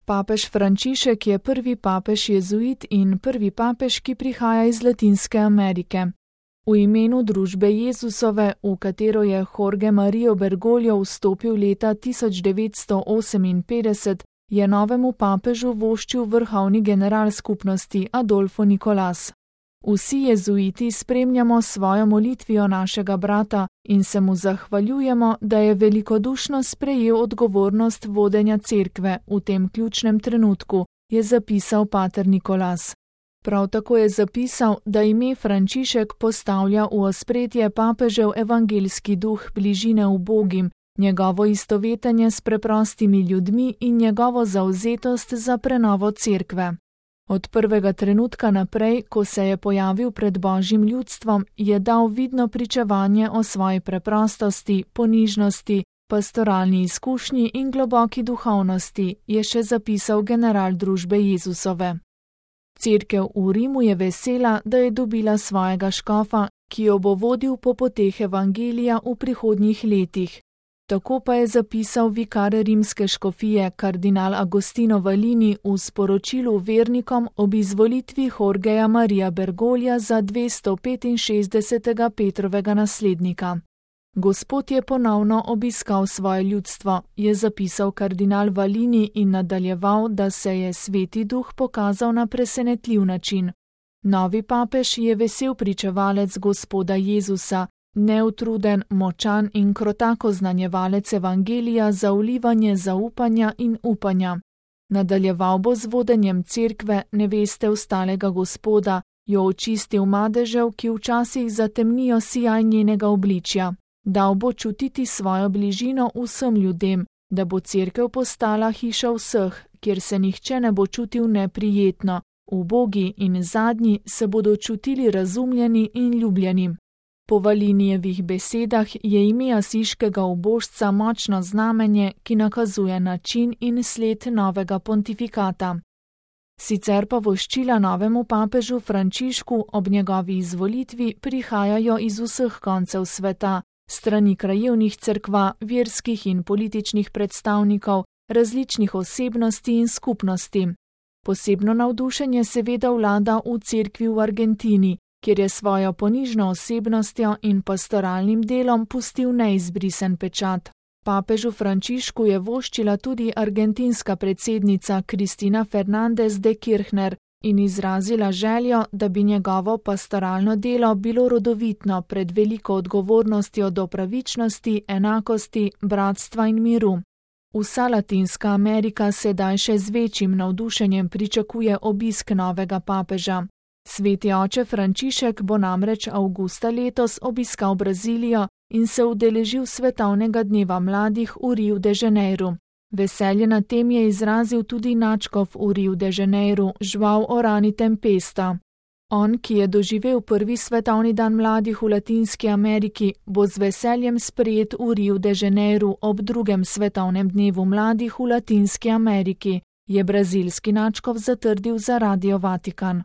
Papež Frančišek je prvi papež jezuit in prvi papež, ki prihaja iz Latinske Amerike. V imenu družbe Jezusove, v katero je Jorge Mario Bergoglio vstopil leta 1958, je novemu papežu voščil vrhovni general skupnosti Adolfo Nicolás. Vsi jezuiti spremljamo svojo molitvijo našega brata in se mu zahvaljujemo, da je velikodušno sprejel odgovornost vodenja cerkve v tem ključnem trenutku, je zapisal pater Nicolás. Prav tako je zapisal, da ime Frančišek postavlja v ospredje papežev evangeljski duh bližine ubogim, njegovo istovetenje s preprostimi ljudmi in njegovo zavzetost za prenovo cerkve. Od prvega trenutka naprej, ko se je pojavil pred Božjim ljudstvom, je dal vidno pričevanje o svoji preprostosti, ponižnosti, pastoralni izkušnji in globoki duhovnosti, je še zapisal general družbe Jezusove. Cerkev v Rimu je vesela, da je dobila svojega škofa, ki jo bo vodil po poteh evangelija v prihodnjih letih. Tako pa je zapisal vikar rimske škofije kardinal Agostino Valini v sporočilu vernikom ob izvolitvi Jorgeja Maria Bergoglija za 265. Petrovega naslednika. Gospod je ponovno obiskal svoje ljudstvo, je zapisal kardinal Valini in nadaljeval, da se je Sveti Duh pokazal na presenetljiv način. Novi papež je vesel pričevalec Gospoda Jezusa, neutruden, močan in krotako znanjevalec evangelija za vlivanje zaupanja in upanja. Nadaljeval bo z vodenjem cerkve, neveste ustalega Gospoda, jo očistil madežev, ki včasih zatemnijo sijaj njenega obličja. Dal bo čutiti svojo bližino vsem ljudem, da bo cerkev postala hiša vseh, kjer se nihče ne bo čutil neprijetno, ubogi in zadnji se bodo čutili razumljeni in ljubljeni. Po Valinijevih besedah je ime asiškega ubožca močno znamenje, ki nakazuje način in sled novega pontifikata. Sicer pa voščila novemu papežu Frančišku ob njegovi izvolitvi prihajajo iz vseh koncev sveta, strani krajevnih cerkva, verskih in političnih predstavnikov, različnih osebnosti in skupnosti. Posebno navdušenje seveda vlada v cerkvi v Argentini, kjer je svojo ponižno osebnostjo in pastoralnim delom pustil neizbrisen pečat. Papežu Frančišku je voščila tudi argentinska predsednica Cristina Fernández de Kirchner in izrazila željo, da bi njegovo pastoralno delo bilo rodovitno pred veliko odgovornostjo do pravičnosti, enakosti, bratstva in miru. Vsa Latinska Amerika sedaj še z večjim navdušenjem pričakuje obisk novega papeža. Sveti oče Frančišek bo namreč avgusta letos obiskal Brazilijo in se udeležil svetovnega dneva mladih v Riu de Janeiro. Veselje na tem je izrazil tudi nadškof v Riu de Janeiro, João Orani Tempesta. On, ki je doživel prvi svetovni dan mladih v Latinski Ameriki, bo z veseljem sprejet v Riu de Janeiro ob drugem svetovnem dnevu mladih v Latinski Ameriki, je brazilski nadškof zatrdil za Radio Vatikan.